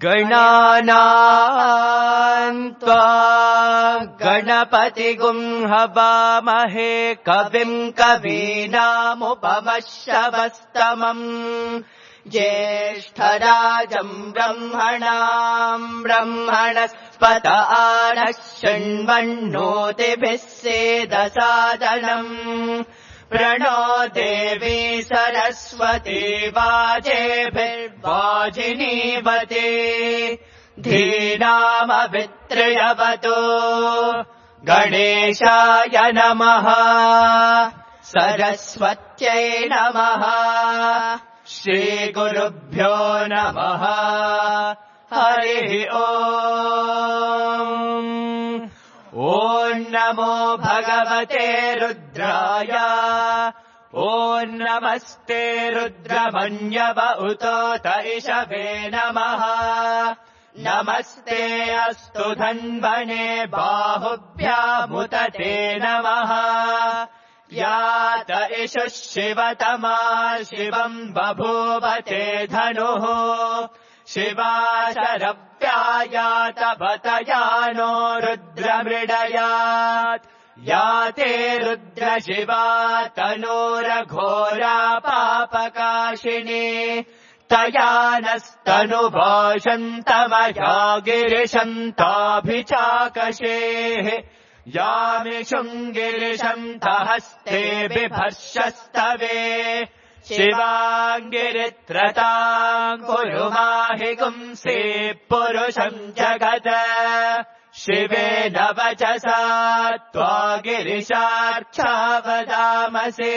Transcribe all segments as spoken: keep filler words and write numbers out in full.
गणानां त्वा गणपतिगुं हवामहे कविं कवीनामुपमश्रवस्तमम् ज्येष्ठराजं ब्रह्मणां ब्रह्मणस्पत आनः शृण्वन्नोतिभिः सेदसादनम् प्रणो देवी सरस्वती वाजेभिर्वाजिनीवती धीनामभित्रयवतु गणेशाय नमः सरस्वत्यै नमः श्रीगुरुभ्यो नमः हरिः ओम् ॐ नमो भगवते रुद्राय ॐ नमस्ते रुद्रमन्यव उतोत इषवे नमः नमस्ते अस्तु धन्वने बाहुभ्यामुत ते नमः यात इषुः शिवतमा शिवम् बभूवते धनुः शिवा शरव्यायात बतयानो रुद्रमृडयात् याते रुद्रशिवा तनूरघोरा पापकाशिनी तया नस्तनुभाषन्तमया गिरिशन्ताभिचाकशेः यामिषुङ्गिरिशन्तहस्ते बिभर्षस्तवे शिवाङ्गिरित्रताम् कुरु माहि गुंसे पुरुषम् जगत् शिवेन वचसा त्वा गिरिशार्चा वदामसे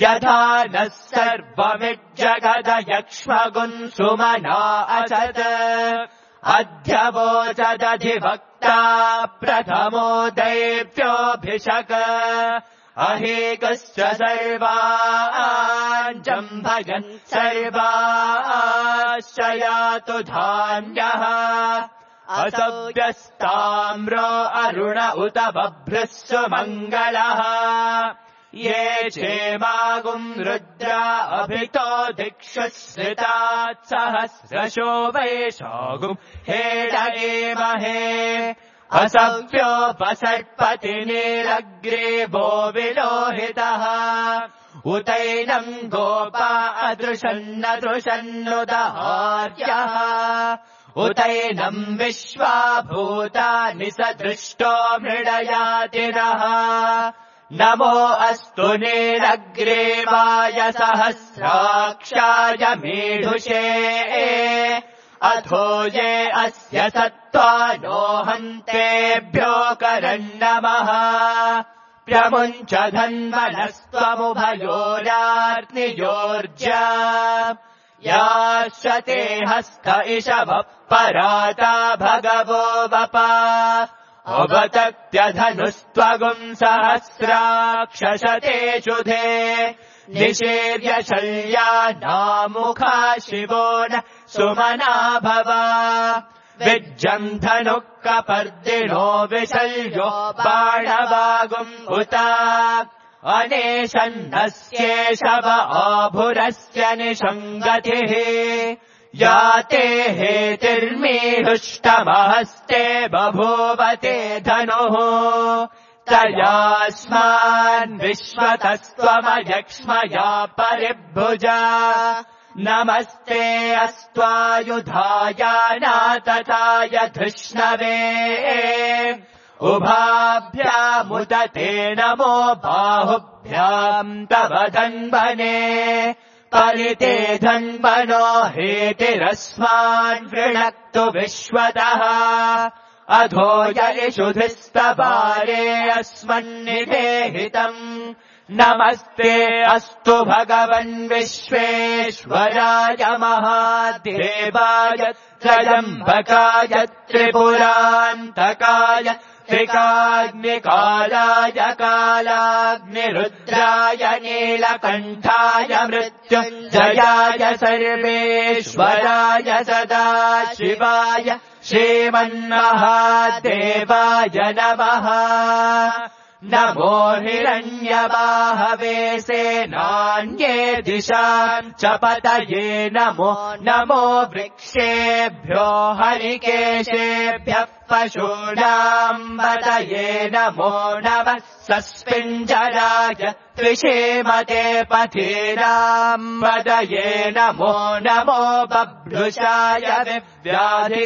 यथा नः सर्वमिज्जगदयक्ष्मगुम् सुमना असत् अध्यवोचदधिवक्ता प्रथमो दैव्योऽभिषक अहेकश्च सर्वान् जम्भयन् सर्वाश्च यातु धान्यः असव्यस्ताम्रो अरुण उत बभ्रः सुमङ्गलः ये चेमागुम् रुद्रा अभितो दिक्षु श्रितात् सहस्रशो वैशागुम् हेडयेमहे असव्योपसर्पति नीलग्रीवो विलोहितः उतैनम् गोपा अदृशन्नदृशन्नुदहार्यः उतैनम् विश्वा भूतानि सदृष्टो मृडयातिरः नमो अस्तु नीलग्रीवाय सहस्राक्षाय मीढुषे अथो ये अस्य सत्त्वानो हन्तेभ्यो करन्नमः प्रमुञ्च धन्वनस्त्वमुभयोरार्नियोर्जा याश्च हस्त इषवः पराता भगवो वपा अवतत्यधनुस्त्वगुम् सहस्राक्षशते शुधे निषेव्य शल्या नामुखा शिवो न सुमना भव विज्जम् धनुः कपर्दिनो विशल्यो बाणवागुम् उत अनेशन्नस्येषव आभुरस्य निषङ्गतिः याते हेतिर्मीहुष्टमहस्ते बभूवते धनुः तयास्मान् विश्वतस्त्वमयक्ष्मया परिभुजा नमस्ते अस्त्वायुधायानातताय धृष्णवे उभाभ्यामुदते नमो बाहुभ्याम् तव धन्वने परिते धन्वनो हेतिरस्मान् वृणक्तु विश्वतः अधो ययिषुधिस्तवारे अस्मन्निवेहितम् नमस्ते अस्तु भगवन् विश्वेश्वराय महादेवाय त्रयम्बकाय त्रिपुरान्तकाय त्रिकाग्निकालाय कालाग्निरुद्राय नीलकण्ठाय मृत्युञ्जयाय सर्वेश्वराय सदाशिवाय श्रीमन्महादेवाय नमः नमो हिरण्यबाहवे सेनान्ये दिशाम् च पतये नमो नमो वृक्षेभ्यो हरिकेशेभ्यः पशूनाम् पतये नमो नमः सस्पिञ्जराय त्रिषेमते पथीनाम् पतये नमो नमो बभ्रुषाय विव्याधिरेन्नानाम्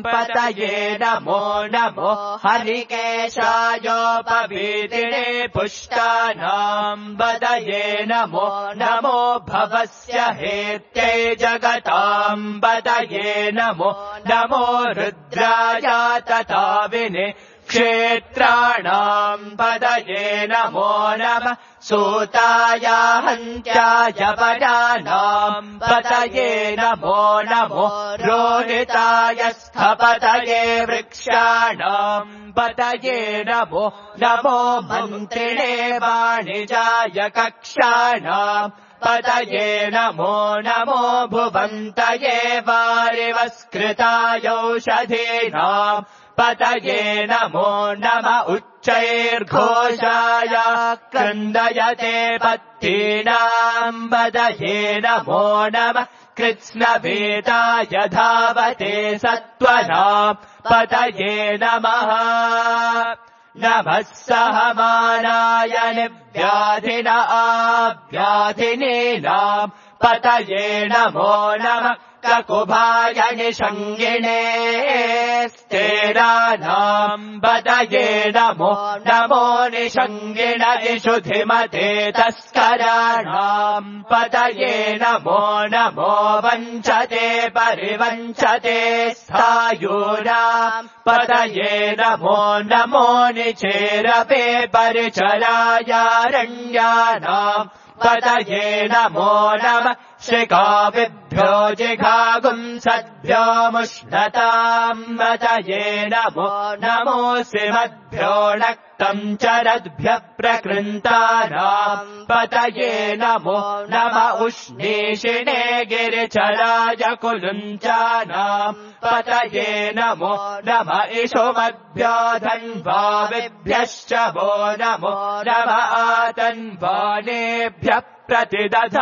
पतये नमो नमो हरिकेशायोपवीतिने पुष्टानाम् पतये नमो नमो भवस्य हेत्यै जगताम् पतये नमो नमो रुद्राय तथा विने क्षेत्राणाम् पतये नमो नमः सूताय हन्त्याय पदानाम् पतये नमो नमो रोहिताय स्थपतये वृक्षाणाम् पतये नमो नमो मन्त्रिणे वाणिजाय कक्षाणाम् पतये नमो नमो भुवन्तये वारिवस्कृतायौषधीनाम् पतये नमो नम उच्चैर्घोषाय क्रन्दयते पत्तीनाम् पतये नमो नमः कृत्स्नभीताय धावते सत्त्वनाम् पतये नमः नमः सहमानाय निव्याधिन आव्याधिनीनाम् पतये नमो नमः ककुभाय निषङ्गिणे स्तेरानाम् पतये नमो नमो निषङ्गिण इषुधिमते तस्कराणाम् पतये नमो नमो वञ्चते परिवञ्चते स्थायूनाम् पतये नमो नमो निचेरपे परिचरायारण्यानाम् पतये नमो नमः शिखाभिभ्यो जिघागुंसद्भ्यो मुष्णताम् पतये नमो नमोऽसि मद्भ्यो नक्तम् चरद्भ्यः प्रकृन्तानाम् पतये नमो नम उष्णीषिणे गिरिचराय कुलुञ्चानाम् पतये नमो नम इषुमद्भ्यो धन्वाविभ्यश्च वो नमो नम आतन्वानेभ्यः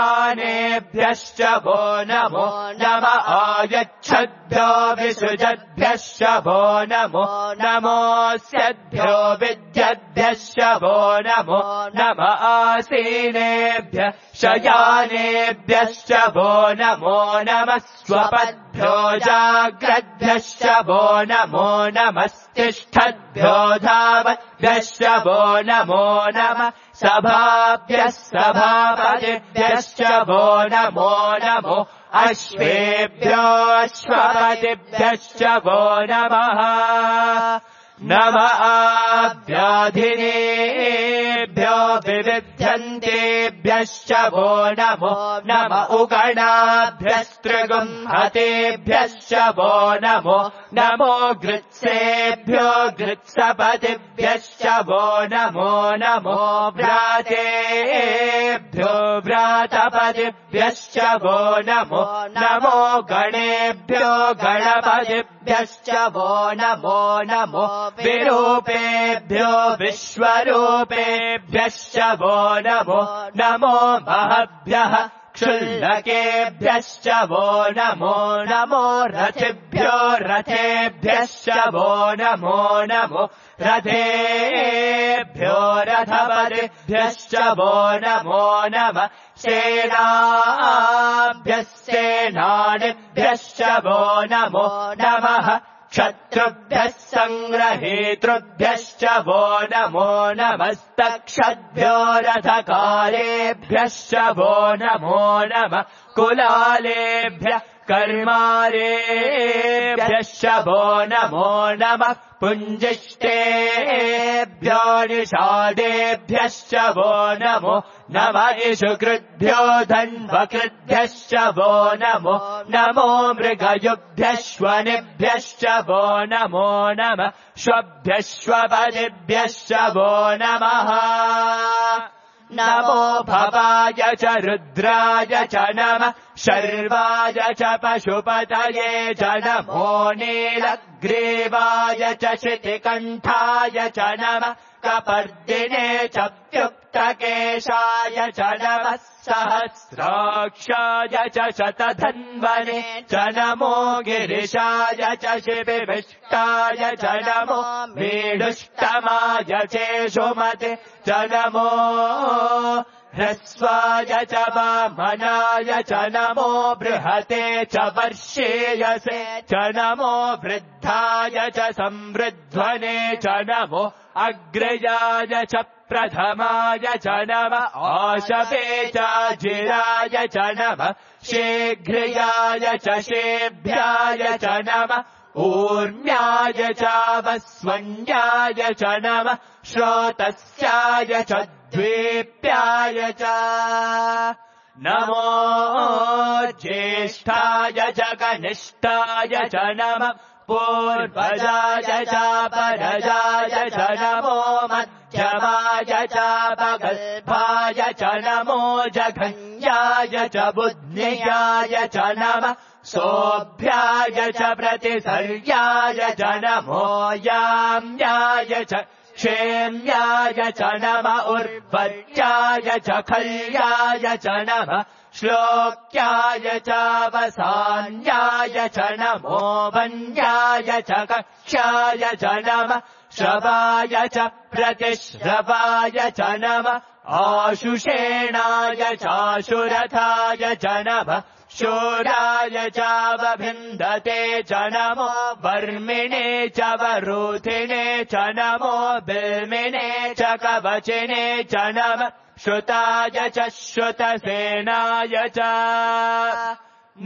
प्रतिदधानेभ्यश्च वो नमो नम आयच्छद्भ्यो विसृजद्भ्यश्च वो नमो नमोऽस्यद्भ्यो विद्यद्भ्यश्च वो नमो नम आसीनेभ्यः शयानेभ्यश्च वो नमो नमः स्वपद्भ्यो जाग्रद्भ्यश्च वो नमो नमस्तिष्ठद्भ्यो धावद्भ्यश्च वो नमो नमः सभाभ्यः सभापतिभ्यश्च वो नमो नमो अश्वेभ्यो अश्वपतिभ्यश्च वो नमः नम आव्याधिनेभ्यो विविध्यन्तेभ्यश्च वो नमो नम उगणाभ्यस्त्रिगुंहतेभ्यश्च वो नमो नमो गृत्सेभ्यो गृत्सपतिभ्यश्च वो नमो नमो व्रातेभ्यो व्रातपतिभ्यश्च वो नमो नमो गणेभ्यो गणपतिभ्यश्च वो नमो नमो विरूपेभ्यो विश्वरूपेभ्यश्च वो नमो नमो महभ्यः क्षुल्लकेभ्यश्च वो नमो नमो रथिभ्यो रथेभ्यश्च वो नमो नमो रथेभ्यो रथपतिभ्यश्च वो नमो नमः सेनाभ्यः सेनानिभ्यश्च वो नमो नमः क्षत्रुभ्यः सङ्ग्रहेतृभ्यश्च वो नमो नमस्तक्षद्भ्यो रथकारेभ्यश्च वो नमो नमः कुलालेभ्यः कर्मारेभ्यश्च वो नमो नमः पुञ्जिष्टेभ्यो निषादेभ्यश्च वो नमो नमः इषुकृद्भ्यो धन्वकृद्भ्यश्च वो नमो नमो मृगयुभ्यश्वनिभ्यश्च वो नमो नमः श्वभ्यश्वपदिभ्यश्च वो नमः नमो भवाय च रुद्राय च नमः शर्वाय च पशुपतये च नमो नीलग्रीवाय च शितिकण्ठाय च नमः कपर्दिने च व्युक्तकेशाय च नमः सहस्राक्षाय च शतधन्वने च नमो गिरिशाय च शिबिविष्टाय च नमो मीढुष्टमाय चेषुमते च नमो ह्रस्वाय च वामनाय च नमो बृहते च वर्षेयसे च नमो वृद्धाय च संवृध्वने च नमो अग्रयाय च प्रथमाय च नमः आशवे च जिराय च नमः शीघ्रयाय च शेभ्याय च नमः ऊर्म्याय च वस्वन्याय च नमः श्रोतस्याय च द्वीप्याय च नमो ज्येष्ठाय च कनिष्ठाय च नमः पूर्वजाय च परजाय च नमो मध्यमाय च पगल्भाय च नमो जघन्याय च बुद्ध्याय च नमः सोऽभ्याय च प्रतिसर्याय च नमो याम्याय च क्षेम्याय च नमः उर्वर्याय च खल्याय च नमः श्लोक्याय च वसान्याय च नमो वन्याय च कक्ष्याय च नमः श्रवाय च प्रतिश्रवाय च नमः आशुषेणाय चाशुरथाय च नमः शूराय च वभिन्दते च नमो वर्मिणे च वरूथिणे च नमो बिल्मिने च कवचिने च नमः श्रुताय च श्रुतसेनाय च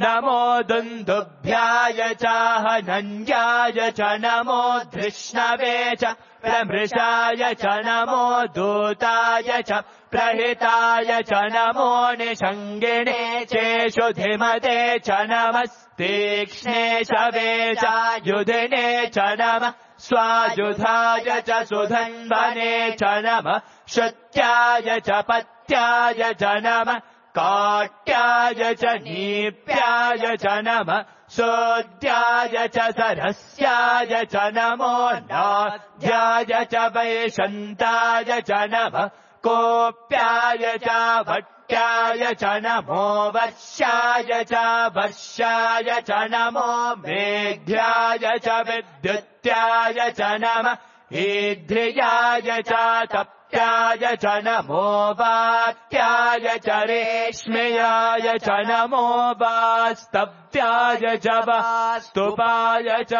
नमो दुन्दुभ्याय च हनन्याय च नमो धृष्णवे च प्रमृषाय च नमो दूताय च प्रहिताय च नमो निषङ्गिणे चेषुधिमते च नमस्तीक्ष्णे शवे च युधिने च नमः स्वायुधाय च सुधन्वने च नमः श्रुत्याय च पत्याय च नमः काट्याय च नीप्याय च नमः सोद्याय च सरस्याय च नमो नाद्याय च वैशन्ताय च नमः कोप्याय च भट्ट्याय च नमो वर्षाय च वर्षाय च नमो मेघ्याय च विद्युत्याय च नमः ईध्र्याय च तप्त्याय च नमो वात्याय च रेश्मयाय च नमो वास्तव्याय च वास्तुपाय च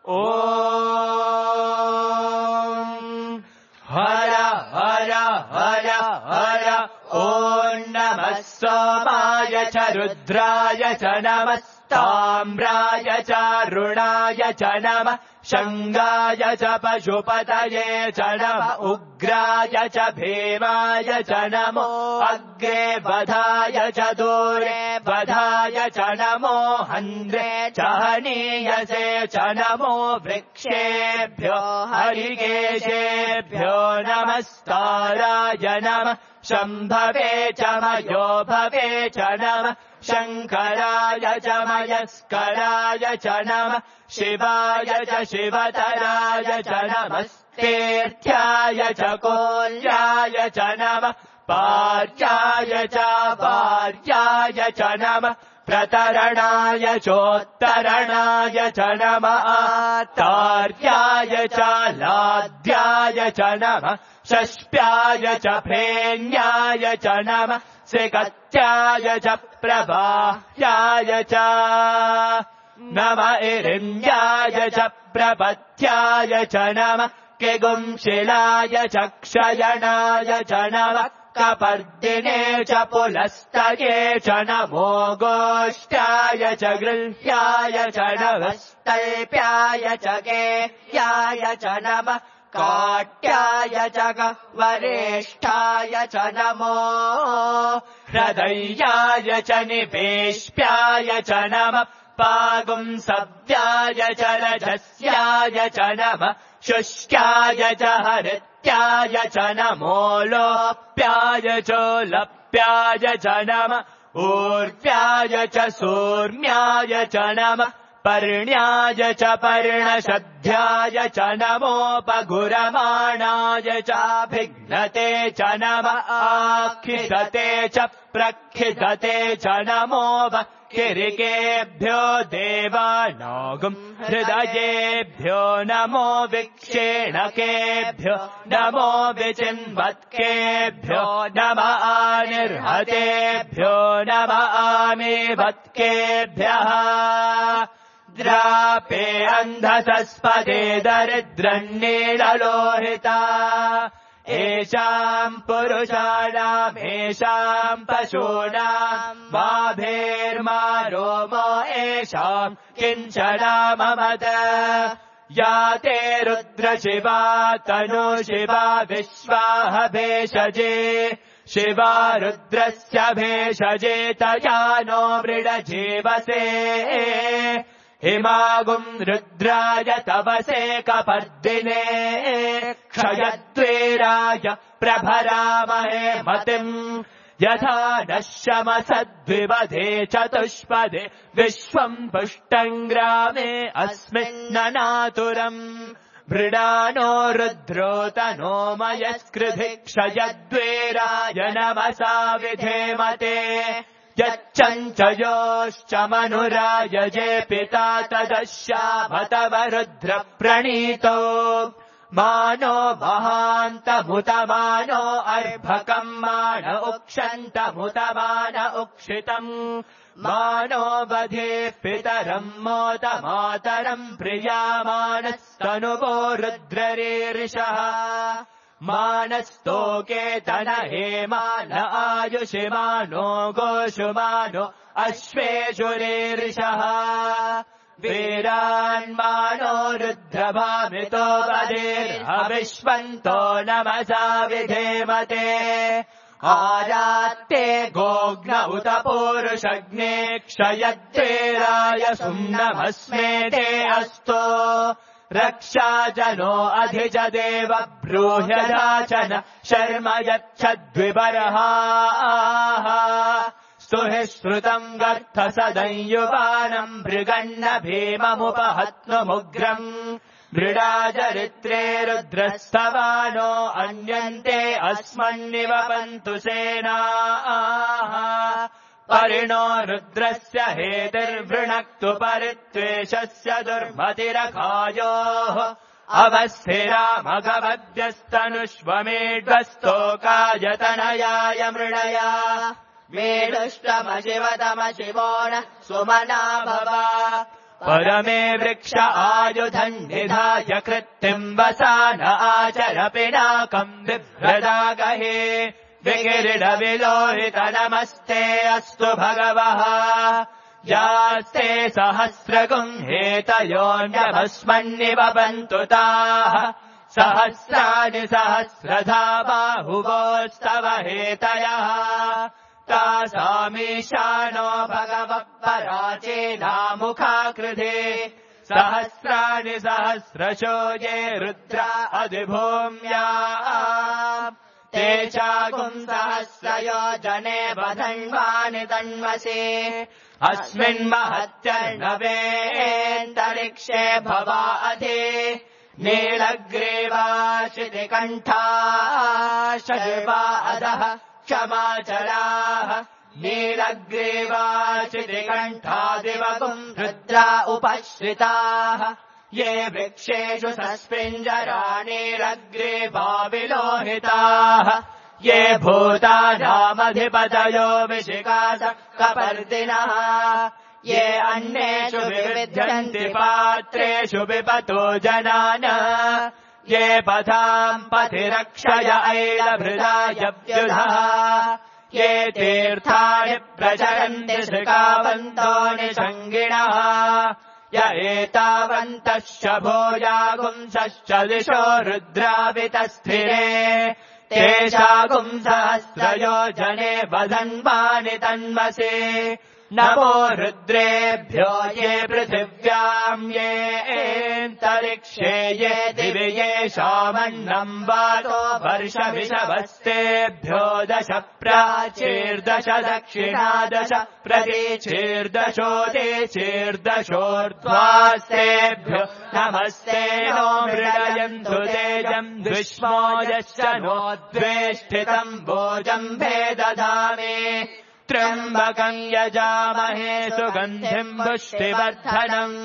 ॐ हर हर हर हर ॐ नमः सोमाय च रुद्राय च नमस्ताम्राय च रुणाय च नमः शङ्गाय च पशुपतये च नमः उग्राय च भीमाय च नमो अग्रे वधाय च दूरे वधाय च नमो हन्द्रे च हनीयसे च नमो वृक्षेभ्यो हरिकेशेभ्यो नमस्ताराय नमः शम्भवे च मयो भवे च नमः शङ्कराय च मयस्कराय च नमः शिवाय च शिवतराय च नमस्तेऽर्थ्याय च कोल्याय च नमः पार्याय च पार्याय च नमः प्रतरणाय चोत्तरणाय च नमः तार्याय च लाद्याय च नमः षष्प्याय च फेन्याय च नमः सिकत्याय च प्रवाह्याय च नम इरिन्द्याय च प्रपथ्याय च नमः किगुंशिलाय च क्षयणाय च नमः कपर्दिने च पुलस्तये च नमो गोष्ठाय च गृह्याय च नमः स्तल्प्याय च गेह्याय च नमः काट्याय च वरेष्ठाय च नमो हृदयाय च निपेष्प्याय च नमः पागुंसव्याय च रजस्याय च नमः शुष्काय च हरित्याय लोप्याय च नमो लोप्याय च लप्याय च नमः ऊर्व्याय च सूर्म्याय च नमः पर्ण्याय च पर्णशद्ध्याय च नमोपगुरमाणाय चाभिघ्नते च नमः आखिदते च प्रखिदते च नमो किरिकेभ्यो देवानागुम् हृदयेभ्यो नमो विक्षेणकेभ्यो नमो विचिन्वत्केभ्यो नमः आनिर्हतेभ्यो नमः आमीवत्केभ्यः द्रापे अन्धसस्पदे दरिद्रन्नीललोहिता एषाम् पुरुषाणाम् एषाम् पशूनाम् माभेर्मा रोमो एषाम् किञ्चनाममद या ते रुद्रशिवा तनु शिवा विश्वाह भेषजे शिवा रुद्रस्य भेषजे तया नो मृडजीवसे हिमागुम् रुद्राय तवसे कपर्दिने क्षयद्वेराय प्रभरामहे मतिम् यथा नः शमसद्विवधे चतुष्पदे विश्वम् पुष्टम् ग्रामे अस्मिन्ननातुरम् मृडानो रुद्रो तनो मयस्कृधि क्षयद्वेराय नमसा विधेमते यच्चञ्चयोश्च मनुरायजे पिता तदश्यामतव रुद्र प्रणीतो मानो महान्तमुतमानो अर्भकम् मान उक्षन्तमुतमान उक्षितम् मानो वधे पितरम् मोत मातरम् प्रियामानस्तनुवो रुद्ररीरिषः मानस्तोके तन हेमान आयुषिमानो गोषुमानो अश्वेषुरीरिषः वीरान्मानो रुद्रभामितो वदेर्हविष्वन्तो नमसा विधेमते आरात्ते गोग्न उत पूरुषग्ने क्षयद्वेराय सुम्नमस्मे ते अस्तो रक्षा जनो अधिज देव ब्रूह्यदाचन शर्म यच्छद्विबर्हाः स्तुहि श्रुतम् गर्थ सदंयुवानम् मृगन्न भीममुपहत्नुमुग्रम् मृडाचरित्रे रुद्रस्तवानो अन्यन्ते अस्मन्निवपन्तु सेनाः परिणो रुद्रस्य हेतिर्वृणक्तु परित्वेषस्य दुर्मतिरखायोः अवस्थिरामघवद्यस्तनुष्वमेढ्वस्तोकायतनयाय मृडया मेढुष्टमशिवतमशिवो न सुमना भव परमे वृक्ष आयुधम् निधाय कृत्तिम् वसान आचर पिनाकम् बिभ्रदागहे विकिरीटविलोहित नमस्ते अस्तु भगवः यास्ते सहस्रगुम् हेतयोऽन्यभस्मन्निवपन्तु ताः सहस्राणि सहस्रधा बाहुवोस्तव हेतयः तासामीशानो भगवः पराचेनामुखाकृधे सहस्राणि सहस्रशो ये रुद्रा अधिभूम्या ते चागुम् सहस्रयोजने वधन्वानि तन्वसे अस्मिन्महत्यर्णवेऽन्तरिक्षे भवा अधि नीलग्रीवाशितिकण्ठा शर्वा अधः क्षमाचलाः नीलग्रीवाशितिकण्ठादिवगुम् रुद्रा उपश्रिताः ये वृक्षेषु सस्पिञ्जराणिरग्रीवा ये भूतानामधिपतयो विशिकास कपर्दिनः ये अन्येषु विविध्यन्ति पात्रेषु विपतो जनान ये पथाम् पथिरक्षय ऐलभृदाय व्युधः ये तीर्थानि प्रचरन्ति श्रिकावन्तो निषङ्गिणः य एतावन्तः शभोजागुंसश्च दिशो रुद्रावितस्थिरे तेषागुम् सहस्रयोजने वधन्वानि तन्वसे नमो रुद्रेभ्यो ये पृथिव्याम् येऽन्तरिक्षे ये दिवि येषामन्नम् वातो वर्षमिषवस्तेभ्यो दश प्राचीर्दश दक्षिणादश प्रतीचीर्दशोदेचीर्दशोर्ध्वास्तेभ्यो नमस्ते नो मृडयन्तु तेजम् विष्मो यश्च नो द्वेष्टितम् भोजम् भेदधामे त्र्यम्बकम् यजामहे सुगन्धिम् पुष्टिवर्धनम्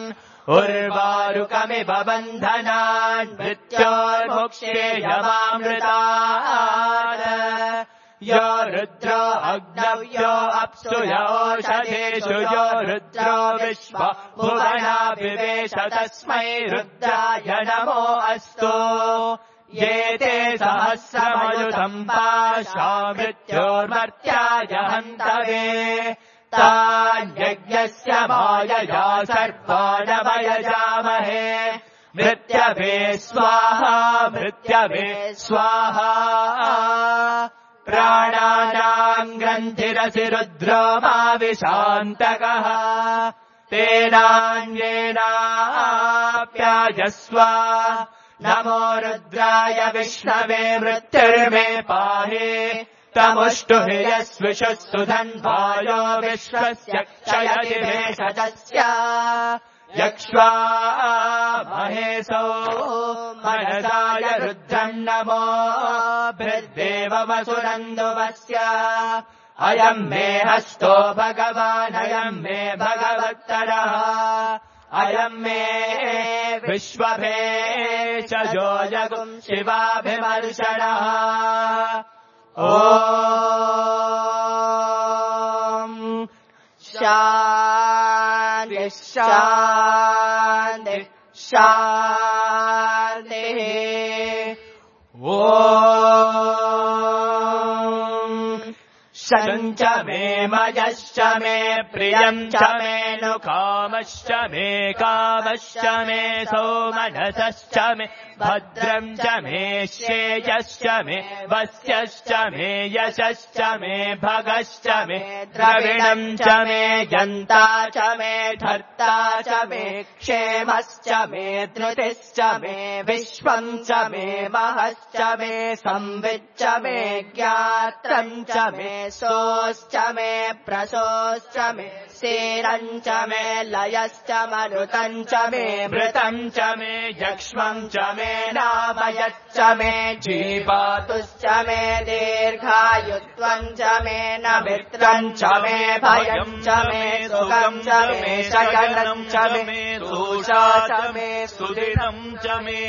उर्वारुकमिव बन्धनान् मृत्योर्मुक्षेयमामृतात् यो रुद्रो अग्नौ यो अप्सु योषधेषु यो रुद्रो विश्व भुवनाभिवेश तस्मै रुद्राय नमो अस्तु ये ते सहस्रमयुतम् पाशा मृत्योर्मर्त्याय हन्तवे तान् यज्ञस्य मायया सर्वानवयजामहे मृत्यवे स्वाहा मृत्यवे स्वाहा प्राणानाम् ग्रन्थिरसि रुद्रो माविशान्तकः तेनान्येनाप्यायस्व नमो रुद्राय विष्णवे मृत्युर्मे पाहि तमुष्टुहि यस्विषुः सुधन्वायो विश्वस्य क्षयति भेषजस्य यक्ष्वा महेशो मनसाय रुद्रम् नमो भृद्देवमसुरन्दुवस्य अयम् मे हस्तो भगवान् अयम् मे भगवत्तरः अयम् मे विश्वभेषजो जगुम् शिवाभिमर्शनः ॐ शान्तिः शान्तिः शान्तिः ॐ शञ्च मे मयश्च मे प्रियम् च मे नुकामश्च मे कामश्च मे सौमनसश्च मे भद्रम् च मे श्रेयश्च मे वस्यश्च मे यशश्च मे भगश्च मे द्रविणम् च मे यन्ता च मे धर्ता च मे क्षेमश्च मे धृतिश्च मे विश्वम् च मे महश्च मे संविच्च मे ज्ञात्रम् च मे सोश्च मे प्रसोश्च मे सेरम् च मे लयश्च मरुतम् च मे मृतम् च मे यक्ष्मम् च मे नामयच्च मे जीवातुश्च मे दीर्घायुत्वम् च मे न मित्रम् च मे भयम् च मे सुखम् च मे शयनम् च मे दोषा च मे सुदिनम् च मे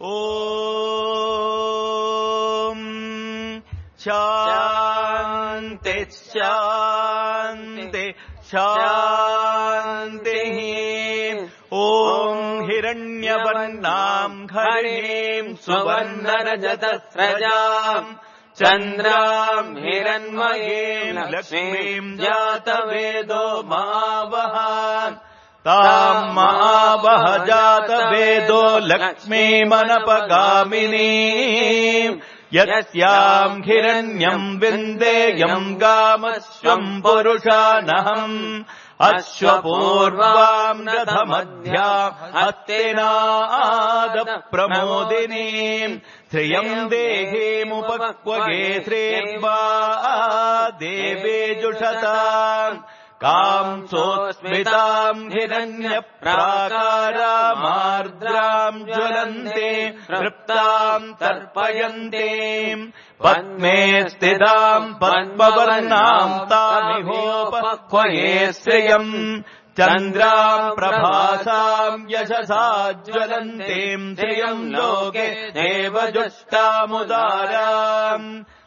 ॐ शान्ति शान्ति शान्तिः ॐ हिरण्यवर्णाम् हरिणीम् सुवर्णरजतस्रजाम् चन्द्राम् हिरण्मयीम् लक्ष्मीम् जातवेदो महावहान् ताम् महावह जातवेदो लक्ष्मीमनपगामिनीम् यस्याम् हिरण्यम् विन्देयम् गामश्वम् पुरुषानहम् अश्वपूर्वाम् रथमध्याम् हस्तिनादप्रमोदिनीम् श्रियम् देहीमुपक्वगे श्रीर्वा देवे जुषताम् काम् सोऽस्मिताम् हिरण्यप्राकारामार्द्राम् ज्वलन्ते तृप्ताम् तर्पयन्तीम् पद्मे स्थिताम् पद्मवर्णाम् तामिहोपक्वये श्रियम् चन्द्राम् प्रभासाम् यशसा ज्वलन्तीम् श्रियम् लोके देवजुष्टामुदाराम्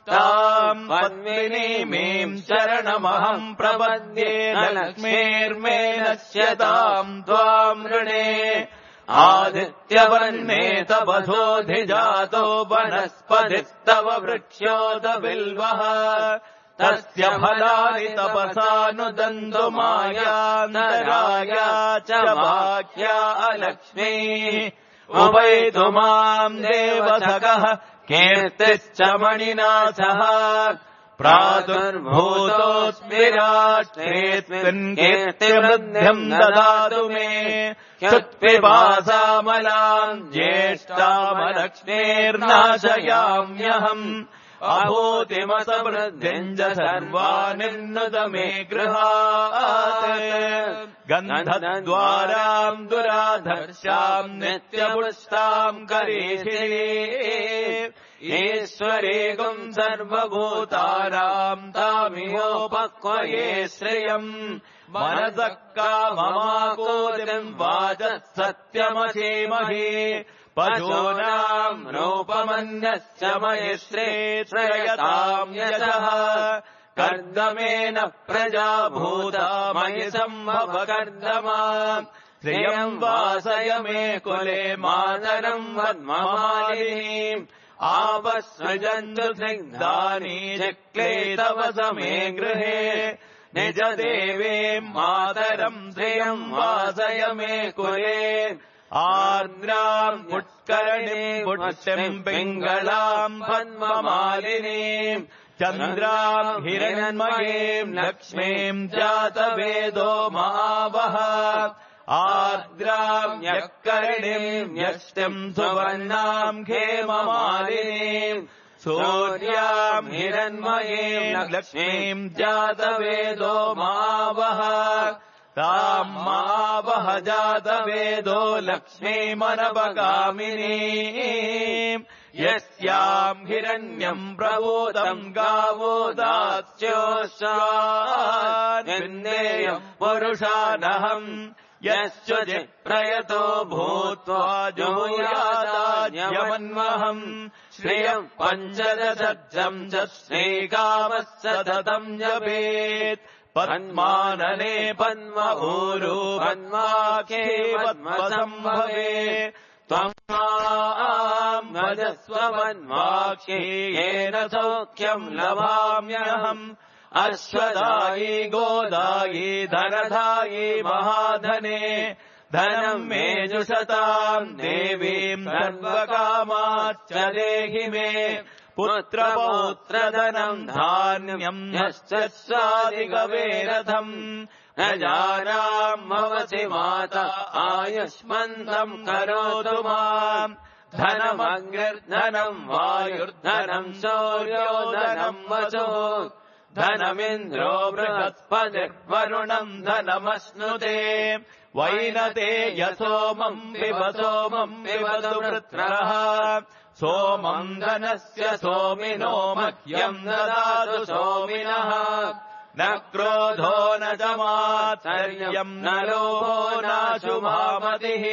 ताम् पद्मिनीमीम् शरणमहम् प्रपद्ये लक्ष्मीर्मे नश्यताम् त्वाम् ऋणे आदित्यवर्णे तपसोऽधिजातो वनस्पतिस्तव वृक्ष्योत बिल्वः तस्य फलानि तपसानुदन्तु मायान्तराया च वाक्या अलक्ष्मीः उपैतु माम् देवसखः कीर्तिश्च मणिनाथः प्रातुर्भूतोऽस्मि राष्ट्रेऽस्मिन् कीर्तिवृद्धिम् ददातु मे क्षुत्पिपासामलाम् ज्येष्ठामलक्ष्मीर्नाशयाम्यहम् अभूतिमसमृद्धिम् च सर्वानिर्नुत मे गृहात् गन्धद्वाराम् दुराधर्षाम् नित्यपुष्टाम् करीषिरे ईश्वरेकम् सर्वभूतानाम् तामिहोपक्वये श्रियम् मनसः काममाकोदिम् वाचः सत्यमशीमहे पशूनाम् रूपमन्यश्च मयिश्रे श्रयताम् यशः कर्दमेन प्रजा भूता मयि सम्भव कर्दमा श्रियम् वासय मे कुले मातरम् वन्ममालिनीम् आपस्सृजन्तु स्निग्धानि चक्ले तव समे गृहे निज देवे मातरम् श्रियम् वासय मे कुले आर्द्राम् पुष्करणीम् पुष्टिम् पिङ्गलाम् पद्ममालिनीम् चन्द्राम् हिरण्मयीम् लक्ष्मीम् जातवेदो महावः आर्द्राम् यःकरणीम् यष्टिम् सुवर्णाम् खेममालिनीम् सूर्याम् हिरण्मयीम् लक्ष्मीम् जातवेदो महावः ताम् महावः जातवेदो लक्ष्मीमनपगामिनीम् यस्याम् हिरण्यम् प्रभूतम् गावो दास्योऽश्वान्विन्देयम् पुरुषानहम् यश्चुचित् प्रयतो भूत्वा जुहुयादाज्यमन्वहम् श्रियम् पञ्चदशम् च श्रीकामः सततम् जपेत् पद्मानने पद्मभूरो पद्माख्ये पद्मसम्भवे त्वम् माम् भजस्व पद्माख्ये येन सौख्यम् लभाम्यहम् अश्वदायी गोदायी धनधायी महाधने धनम् मे जुषताम् देवीम् सर्वकामाच्च देहि मे पुत्रपौत्रधनम् धान्यम् यश्च स्वादिकवेरथम् न जानाम् भवसि माता आयुष्मन्तम् करोतु माम् धनमग्निर्धनम् वायुर्धनम् शौर्यो धनम् वसो धनमिन्द्रो बृहस्पतिर्वरुणम् धनमश्नुते वैनते यसोमम् पिब सोमम् पिबतु वृत्रः सोमम् धनस्य सोमिनो मह्यम् ददातु सोमिनः न क्रोधो न च मात्सर्यम् न लोभो नाशुभामतिः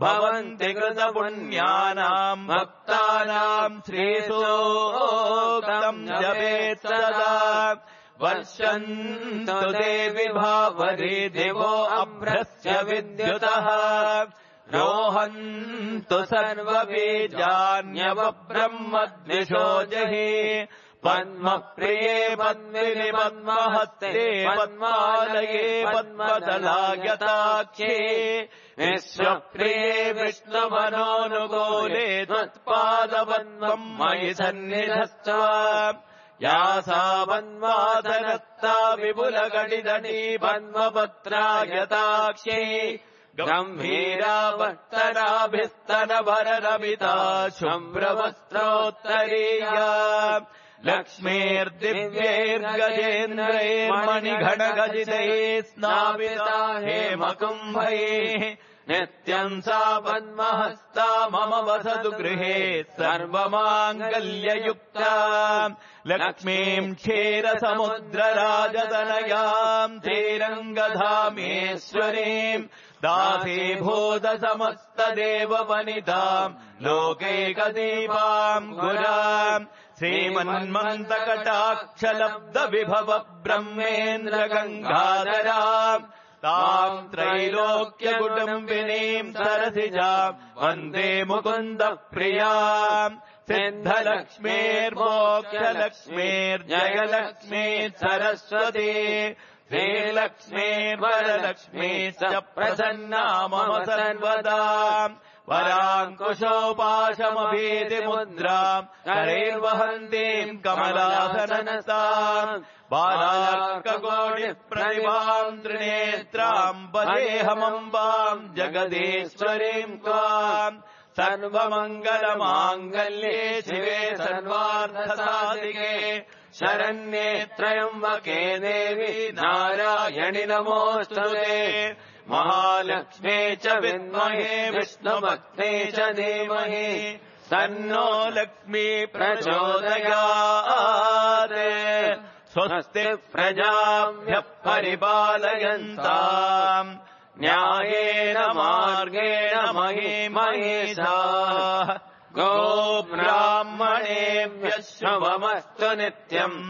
भवन्ति कृतपुण्यानाम् भक्तानाम् श्रीसूक्तम् जपेत् सदा वर्षन्तु देवि भावरी दिवो अभ्रस्य विद्युतः रोहन्तु सर्वबीजान्यवब्रह्मद्विषो जहि पद्मप्रिये पद्मिनि पद्महस्ते पद्मालये पद्मदलायताख्ये विश्वप्रिये विष्णुमनोनुकूले त्वत्पादपद्मम् मयि सन्निधस्त्व या सा पद्मासनस्ता विपुलकटितटी पद्मपत्रायताक्ष्यै गम्भीरावर्तनाभिस्तनभररमिता शुभ्रवस्त्रोत्तरीया लक्ष्मीर्दिव्यैर्गजेन्द्रैर्मणिघटगजितैः स्नापिता हेमकुम्भैः नित्यम् सा पद्महस्ता मम वसतु गृहे सर्वमाङ्गल्ययुक्ता लक्ष्मीम् क्षीरसमुद्रराजतनयाम् श्रीरङ्गधामेश्वरीम् दासीभूतसमस्तदेववनिताम् लोकैकदीपाम् गुराम् श्रीमन्मन्तकटाक्षलब्धविभव ब्रह्मेन्द्रगङ्गाधराम् ताम् त्रैलोक्यकुटुम्बिनीम् सरसिजाम् वन्दे मुकुन्दप्रियाम् सिद्धलक्ष्मीर्मोक्षलक्ष्मीर्जयलक्ष्मी सरस्वती श्रीलक्ष्मीर्वरलक्ष्मी च प्रसन्ना मम सर्वदा वराङ्कुशोपाशमभीतिमुद्राम् करैर्वहन्तीम् कमलासनस्ताम् बालार्ककोटिप्रतिभाम् त्रिनेत्राम् वदेहमम्बाम् जगदीश्वरीम् त्वाम् सर्वमङ्गलमाङ्गल्ये शिवे सर्वार्थसाधिके शरण्ये त्र्यम्बके देवी नारायणि नमोऽस्तुते महालक्ष्मे च विद्महे विष्णुभक्ते च धीमहि तन्नो लक्ष्मी प्रचोदयात् स्वस्ति प्रजाभ्यः परिपालयन्ताम् न्यायेन मार्गेण मही महेशाः गोब्राह्मणेभ्यः शुभमस्तु नित्यम्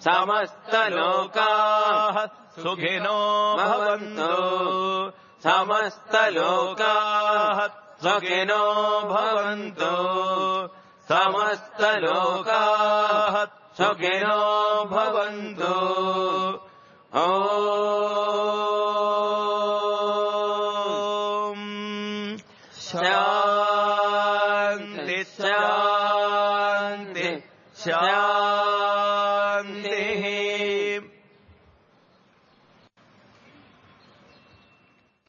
समस्तलोकाः सुखिनो भवन्तु समस्तलोकाः सुखिनो भवन्तु समस्तलोकाः सुखिनो भवन्तु ॐ शान्ति शान्ति शान्ति।